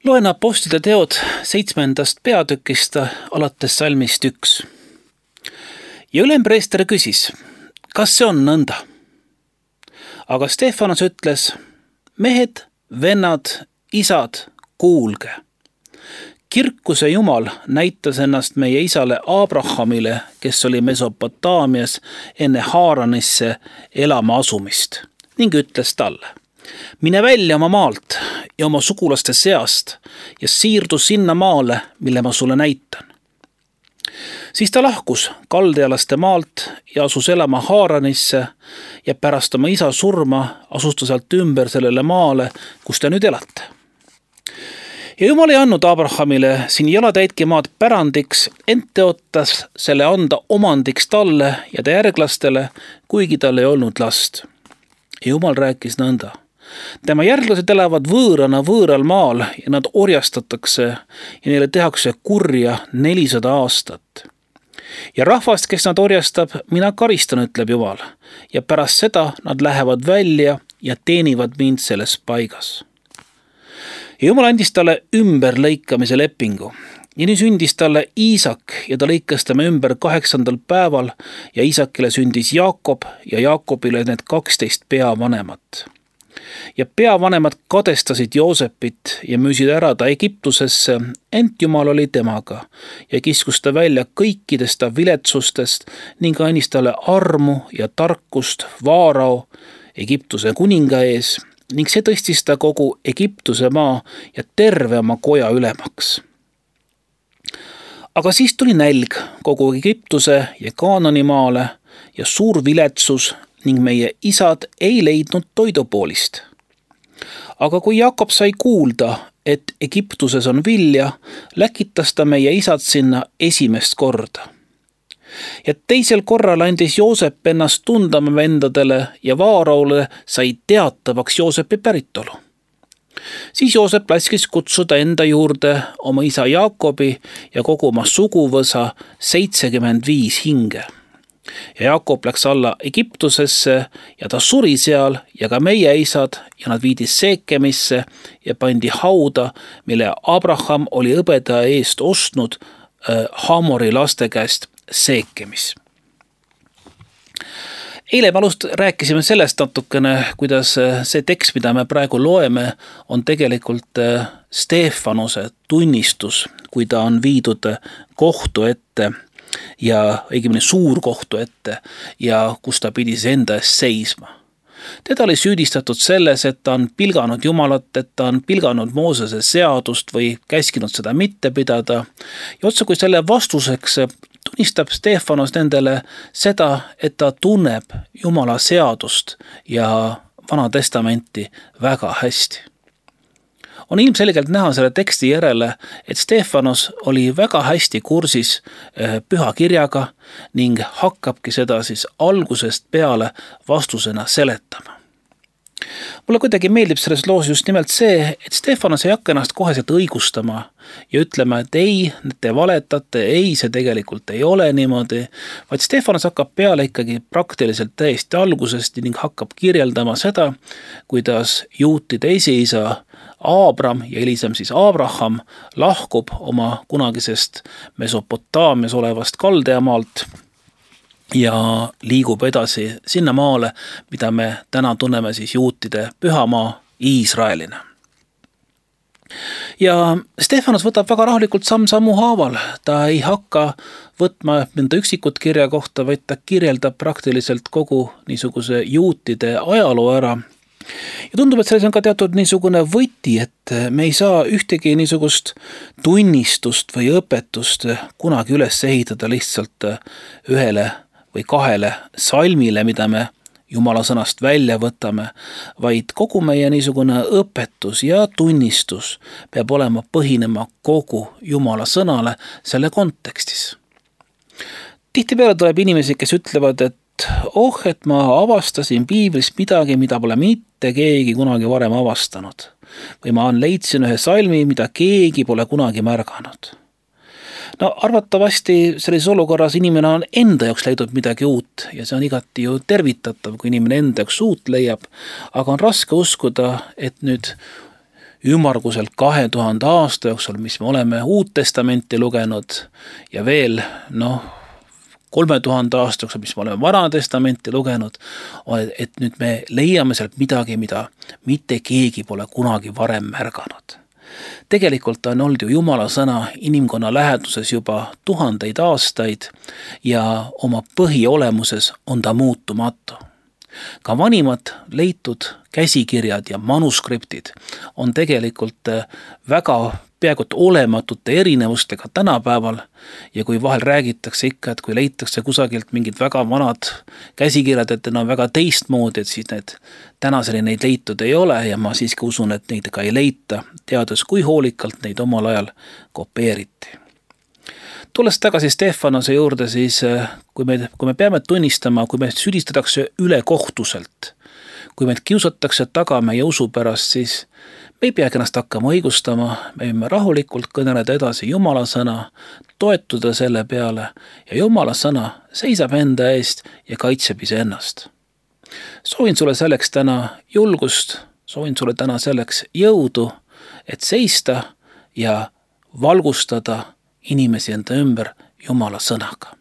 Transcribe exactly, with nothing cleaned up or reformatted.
Loen apostlite teod seitsmendast peatükist alates salmist üks. Ja ülempreester küsis, kas see on nõnda? Aga Stefanos ütles, mehed, vennad, isad, kuulge. Kirkuse Jumal näitas ennast meie isale Abrahamile, kes oli Mesopotaamias enne Haaranisse elama asumist, ning ütles talle, mine välja oma maalt ja oma sugulaste seast ja siirdu sinna maale, mille ma sulle näitan. Siis ta lahkus kaldealaste maalt ja asus elama Haaranisse ja pärast oma isa surma asus ta sealt ümber sellele maale, kus te nüüd elate. Ja Jumal ei andnud Abrahamile siin jalatäitki maad pärandiks, ent teotas selle anda omandiks talle ja ta järglastele, kuigi tal ei olnud last. Ja Jumal rääkis nõnda. Tema järglased elavad võõrana võõral maal ja nad orjastatakse ja neile tehakse kurja nelisada aastat. Ja rahvast, kes nad orjastab, mina karistan, ütleb Jumal, ja pärast seda nad lähevad välja ja teenivad mind selles paigas. Ja Jumal andis talle ümberlõikamise lepingu. Ja nii sündis talle Iisak ja ta lõikas tema ümber kaheksandal päeval ja Iisakile sündis Jaakob ja Jaakobile need kaksteist peavanemat. Ja peavanemad kadestasid Joosepit ja müüsid ära ta Egiptusesse, ent Jumal oli temaga ja kiskus ta välja kõikidest ta viletsustest ning andis talle armu ja tarkust Vaarao, Egiptuse kuninga ees, ning see tõstis ta kogu Egiptuse maa ja terve oma koja ülemaks. Aga siis tuli nälg kogu Egiptuse ja Kaanani maale ja suur viletsus ning meie isad ei leidnud toidupoolist. Aga kui Jakob sai kuulda, et Egiptuses on vilja, läkitas ta meie isad sinna esimest korda. Ja teisel korral andis Joosep ennast tundama vendadele ja Vaaraole sai teatavaks Joosepi päritolu. Siis Joosep laskis kutsuda enda juurde oma isa Jaakobi ja kogu oma suguvõsa seitsekümmend viis hinge. Ja Jaakob läks alla Egiptusesse ja ta suri seal ja ka meie isad ja nad viidi Seekemisse ja pandi hauda, mille Abraham oli õbedaja eest ostnud äh, Hamori laste käest Seekemis. Eile me alust rääkisime sellest natukene, kuidas see tekst, mida me praegu loeme, on tegelikult Stefanose tunnistus, kui ta on viidud kohtu ette ja õigemini suurkohtu ette ja kus ta pidi enda eest seisma. Teda oli süüdistatud selles, et ta on pilganud Jumalat, et ta on pilganud Moosese seadust või käskinud seda mitte pidada. Ja otsa kui selle vastuseks tunnistab Stefanos nendele seda, et ta tunneb Jumala seadust ja Vana Testamenti väga hästi. On ilmselgelt näha selle teksti järele, et Stefanos oli väga hästi kursis pühakirjaga ning hakkabki seda siis algusest peale vastusena seletama. Mulle kuidagi meeldib selles loos just nimelt see, et Stefanos ei hakka ennast koheselt õigustama ja ütlema, et ei, te valetate, ei, see tegelikult ei ole niimoodi, vaid Stefanos hakkab peale ikkagi praktiliselt täiesti algusest ning hakkab kirjeldama seda, kuidas juutide esiisa Abram ja hilisem siis Abraham lahkub oma kunagisest Mesopotaamias olevast kaldeamaalt ja liigub edasi sinna maale, mida me täna tunneme siis juutide pühamaa Iisraelina. Ja Stefanos võtab väga rahulikult samm-sammu haaval. Ta ei hakka võtma mõnda üksikut kirja kohta, vaid ta kirjeldab praktiliselt kogu niisuguse juutide ajaloo ära. Ja tundub, et selles on ka teatud niisugune võti, et me ei saa ühtegi niisugust tunnistust või õpetust kunagi üles ehitada lihtsalt ühele või kahele salmile, mida me Jumala sõnast välja võtame, vaid kogu meie niisugune õpetus ja tunnistus peab olema põhinema kogu Jumala sõnale selle kontekstis. Tihtipeale tuleb inimesi, kes ütlevad, et oh, et ma avastasin piiblist midagi, mida pole mitte keegi kunagi varem avastanud. Või ma leidsin ühe salmi, mida keegi pole kunagi märganud. No arvatavasti selles olukorras inimene on enda jaoks leidnud midagi uut ja see on igati ju tervitatav, kui inimene enda jaoks uut leiab, aga on raske uskuda, et nüüd ümmarguselt kahe tuhande aasta jooksul, mis me oleme Uut Testamenti lugenud ja veel noh, kolme tuhande aasta jooksul, mis me oleme Vana Testamenti lugenud, et nüüd me leiame sealt midagi, mida mitte keegi pole kunagi varem märganud. Tegelikult on olnud ju Jumala sõna inimkonna läheduses juba tuhandeid aastaid ja oma põhiolemuses on ta muutumatu. Ka vanimad leitud käsikirjad ja manuskriptid on tegelikult väga peaaegu olematute erinevustega tänapäeval ja kui vahel räägitakse ikka, et kui leitakse kusagilt mingid väga vanad käsikirjad, et need on väga teistmoodi, et siis need tänaseni neid leitud ei ole ja ma siiski usun, et neid ka ei leita, teades kui hoolikalt neid omal ajal kopeeriti. Tulles tagasi Stefanose juurde, siis kui me, kui me peame tunnistama, kui me süüdistatakse ülekohtuselt, kui meid kiusatakse taga meie usu pärast, siis me ei peagi ennast hakkama õigustama, me võime rahulikult kõneleda edasi Jumala sõna, toetuda selle peale ja Jumala sõna seisab enda eest ja kaitseb iseennast. Soovin sulle selleks täna julgust, soovin sulle täna selleks jõudu, et seista ja valgustada inimesi enda ümber Jumala sõnaga.